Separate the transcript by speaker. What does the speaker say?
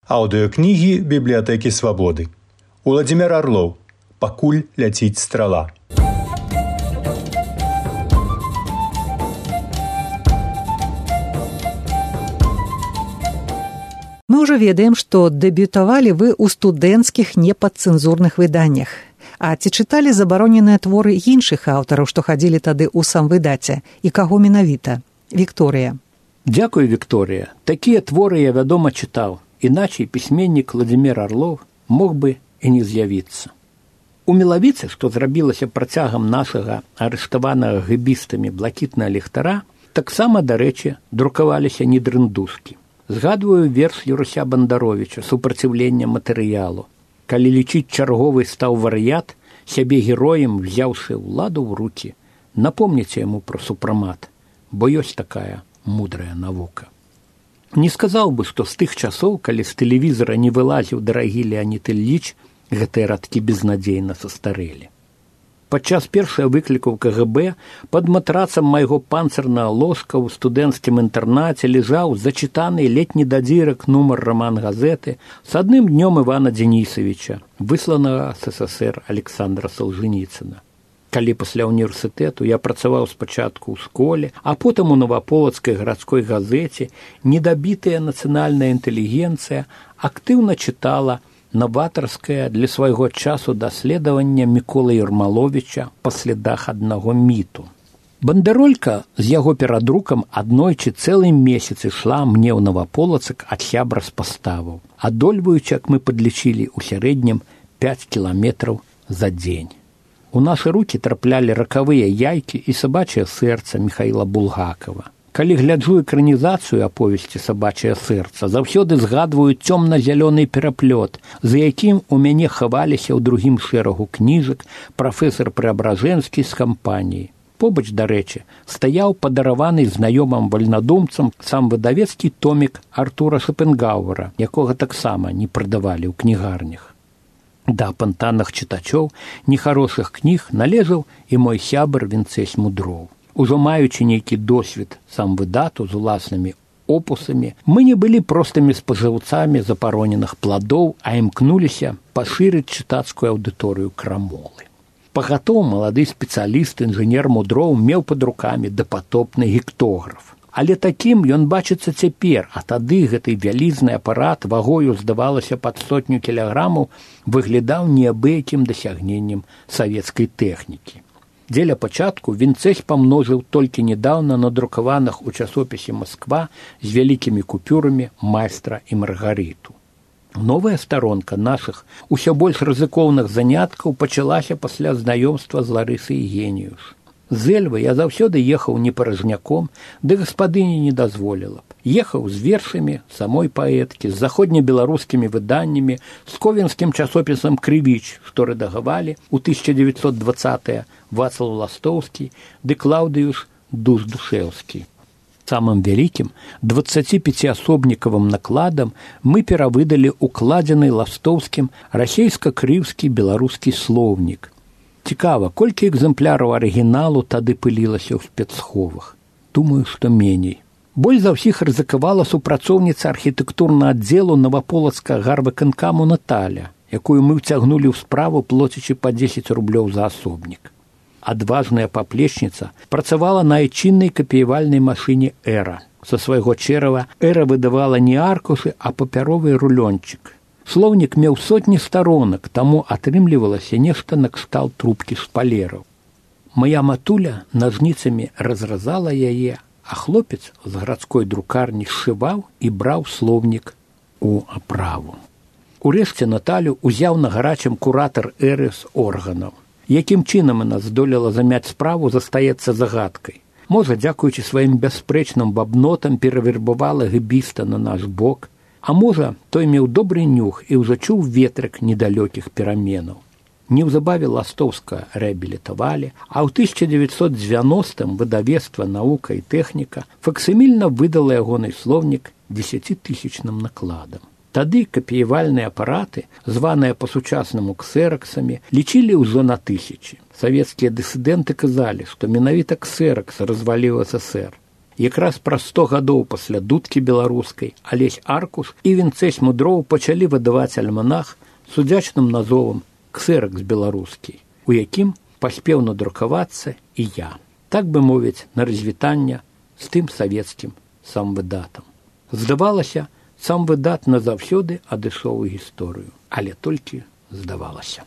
Speaker 1: Аўдыёкнігі бібліятэкі Свабоды. Уладзімір Арлоў. Пакуль ляціць страла.
Speaker 2: Мы ўжо ведаем, што дэбютавалі вы ў студэнцкіх непадцэнзурных выданнях. А ці чыталі забароненыя творы іншых аўтараў, што хадзілі тады ў самвыдаце? І каго менавіта? Вікторыя.
Speaker 3: Дзякуй, Вікторыя. Такія творы я, вядома, чытаў. Іначай пісьменнік Уладзімір Арлоў мог бы і не з'явіцца. У Мелавіцы, што зрабілася працягам нашага арыштаванага гэбістамі блакітнага ліхтара, таксама, дарэчы, друкаваліся недрындушкі. Згадваю верш Юрася Бандаровіча «Супраціўленне матэрыялу». Калі лічыць чарговы стаў вар'ят, сябе героем, взяўшы ўладу ў рукі, напомніце яму пра супрамат, бо ёсць такая мудрая навука. Не сказаў бы, што з тых часоў, калі з тэлевізара не вылазіў дарагі Леанід Ільіч, гэтыя радкі безнадзейна састарэлі. Падчас першага выкліку ў КГБ пад матрацам майго панцырнага ложка ў студэнцкім інтэрнаце ляжаў зачытаны летні дадзірак нумар раман-газеты з адным днём Івана Дзенісавіча, высланага з СССР Александра Салжаніцына. Калі пасля універсітэту я працаваў спачатку ў школе, а потым у Новаполацкай гарадской газеце, недабітая нацыянальная інтэлігенцыя актыўна чытала наватарскае для свайго часу даследавання Міколы Ермаловіча па слядах аднаго міту. Бандэролька з яго перадрукам аднойчы цэлы месяц ішла мне ў Новаполацак ад сябра з паставаў, адольваючы, як мы падлічылі, у сярэднім 5 кіламетраў за дзень. У нашы рукі траплялі ракавыя яйкі і сабачае сэрца Міхаіла Булгакова. Калі гляджу экранізацыю аповесці «Сабачае сэрца», заўсёды згадваю цёмна-зялёны пераплёт, за якім у мяне хаваліся ў другім шэрагу кніжак прафесар Преабражэнскі з кампаніі. Побач, дарэчы, стаяў падараваны знаёмым вальнадумцам сам выдавецкі томік Артура Шопенгауэра, якога таксама не прадавалі ў кнігарнях. Да апантаных чытачоў нехарошых кніг належаў і мой сябар Вінцэсь Мудроў. Ужо маючы нейкі досвед сам выдату з уласнымі опусамі, мы не былі простымі спажыўцамі запароненых пладоў, а імкнуліся пашырыць чытацкую аўдыторыю крамолы. Пагатоў малады спецыяліст, інжынер Мудроў меў пад рукамі дапатопны гектограф. Але такім ён бачыцца цяпер, а тады гэты вялізны апарат вагою, здавалася, пад 100 кілаграмаў выглядаў неабыякім дасягненнем савецкай тэхнікі. Дзеля пачатку Вінцэсь памножыў толькі нядаўна надрукаваных у часопісе «Масква» з вялікімі купюрамі «Майстра і Маргарыту». Новая старонка нашых усё больш рызыкоўных заняткаў пачалася пасля знаёмства з Ларысай Геніюш. З Эльвы я заўсёды ехаў не паражняком, ды гаспадыня не дазволіла б. Ехаў з вершамі самой паэткі, з заходнебеларускімі выданнямі, з ковенскім часопісам «Крывіч», што рэдагавалі ў 1920-е Вацлаў Ластоўскі ды Клаўдыюш Душ-Душэўскі. Самым вялікім 25-асобнікавым накладам мы перавыдалі укладзены Ластоўскім расейска-крыўскі беларускі слоўнік. Цікава, колькі экзэмпляраў арыгіналу тады пылілася ў спецсховах? Думаю, што меней. Больш за ўсіх рызыкавала супрацоўніца архітэктурнага аддзелу Новаполацкага гарвыканкаму Наталя, якую мы ўцягнулі ў справу, плоцячы па 10 рублёў за асобнік. Адважная паплечніца працавала на айчыннай капіявальнай машыне «Эра». Са свайго чэрава «Эра» выдавала не аркушы, а папяровы рулёнчык. Слоўнік меў сотні старонак, таму атрымлівалася нешта накшталт трубкі шпалераў. Мая матуля нажніцамі разразала яе, а хлопец з гарадской друкарні сшываў і браў слоўнік у аправу. Урэшце Наталю узяў на гарачым куратар «Эры» з органаў. Якім чынам яна здолела замяць справу, застаецца загадкай. Можа, дзякуючы сваім бясспрэчным бабнотам перавербавала гэбіста на наш бок, а можа, той меў добры нюх і ўжо чуў ветрык недалёкіх пераменаў. Неўзабаве Ластоўска рэабілітавалі, а ў 1990-м выдавецтва «Навука і тэхніка» факсімільна выдала ягоны слоўнік 10-тысячным накладам. Тады капіявальныя апараты, званыя па-сучаснаму ксераксамі, лічылі ўжо на 1000. Савецкія дысідэнты казалі, што менавіта ксеракс разваліў СССР. Якраз праз 100 гадоў пасля дудкі беларускай Алесь Аркуш і Вінцэсь Мудроў пачалі выдаваць альманах з удзячным назовам «Ксеракс беларускі», у якім паспеў надрукавацца і я, так бы мовіць, на развітанне з тым савецкім самвыдатам. Здавалася, самвыдат назаўсёды адышоў у гісторыю, але толькі здавалася.